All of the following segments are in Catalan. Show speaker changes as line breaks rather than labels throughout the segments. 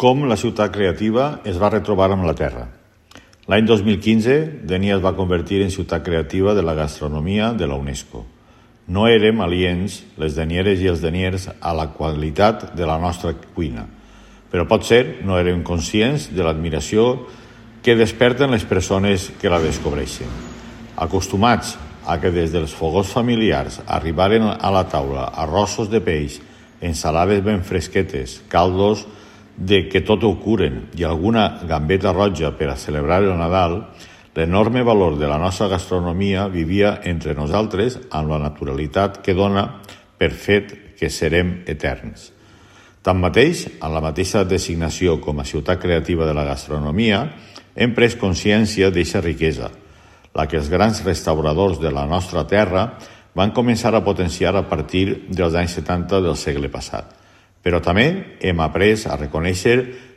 Com la ciutat creativa es va retrobar amb la terra. L'any 2015, Dénia es va convertir en ciutat creativa de la gastronomia de la UNESCO. No érem aliens, les denieres i els deniers, a la qualitat de la nostra cuina, però potser no érem conscients de l'admiració que desperten les persones que la descobreixen. Acostumats a que des dels fogons familiars arribaren a la taula arrossos de peix, ensalades ben fresquetes, caldos de que tot ho curen i alguna gambeta roja per a celebrar el Nadal, l'enorme valor de la nostra gastronomia vivia entre nosaltres amb la naturalitat que dona per fet que serem eterns. Tanmateix, en la mateixa designació com a ciutat creativa de la gastronomia, hem pres consciència d'eixa riquesa, la que els grans restauradors de la nostra terra van començar a potenciar a partir dels anys 70 del segle passat. Però també hem après a reconèixer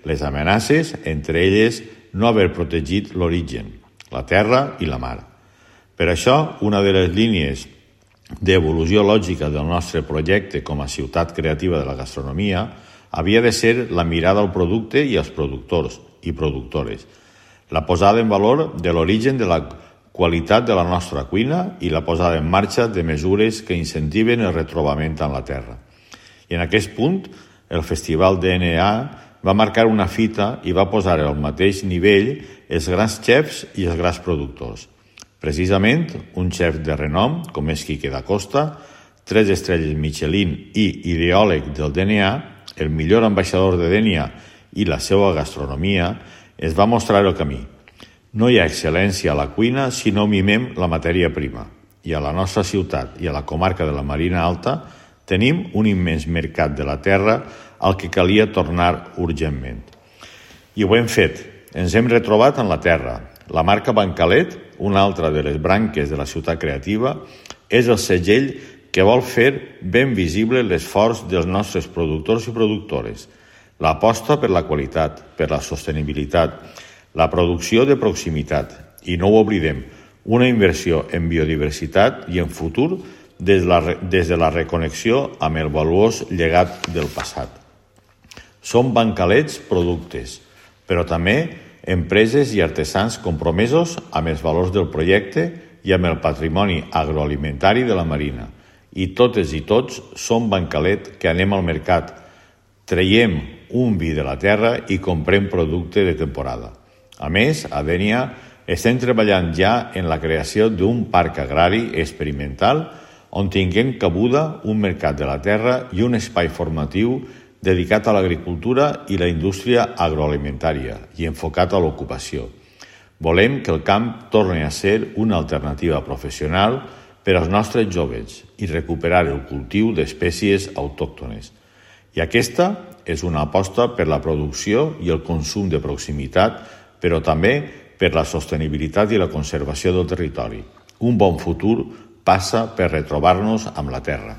les amenaces, entre elles no haver protegit l'origen, la terra i la mar. Per això, una de les línies d'evolució lògica del nostre projecte com a ciutat creativa de la gastronomia havia de ser la mirada al producte i als productors i productores, la posada en valor de l'origen de la qualitat de la nostra cuina i la posada en marxa de mesures que incentiven el retrobament amb la terra. I en aquest punt, el Festival DNA va marcar una fita i va posar al mateix nivell els grans xefs i els grans productors. Precisament, un xef de renom, com és Quique da Costa, 3 estrelles Michelin i ideòleg del DNA, el millor ambaixador de Dénia i la seva gastronomia, es va mostrar el camí. No hi ha excel·lència a la cuina si no mimem la matèria prima. I a la nostra ciutat i a la comarca de la Marina Alta tenim un immens mercat de la terra al que calia tornar urgentment. I ho hem fet. Ens hem retrobat en la terra. La marca Bancalet, una altra de les branques de la ciutat creativa, és el segell que vol fer ben visible l'esforç dels nostres productors i productores, l'aposta per la qualitat, per la sostenibilitat, la producció de proximitat i, no ho oblidem, una inversió en biodiversitat i en futur des de la reconnexió amb el valuós llegat del passat. Són bancalets productes, però també empreses i artesans compromesos amb els valors del projecte i amb el patrimoni agroalimentari de la Marina. I totes i tots som bancalet que anem al mercat, traiem un vi de la terra i comprem producte de temporada. A més, a Dénia estem treballant ja en la creació d'un parc agrari experimental on tinguem cabuda un mercat de la terra i un espai formatiu dedicat a l'agricultura i la indústria agroalimentària i enfocat a l'ocupació. Volem que el camp torni a ser una alternativa professional per als nostres joves i recuperar el cultiu d'espècies autòctones. I aquesta és una aposta per la producció i el consum de proximitat, però també per la sostenibilitat i la conservació del territori. Un bon futur passa per retrobar-nos amb la terra.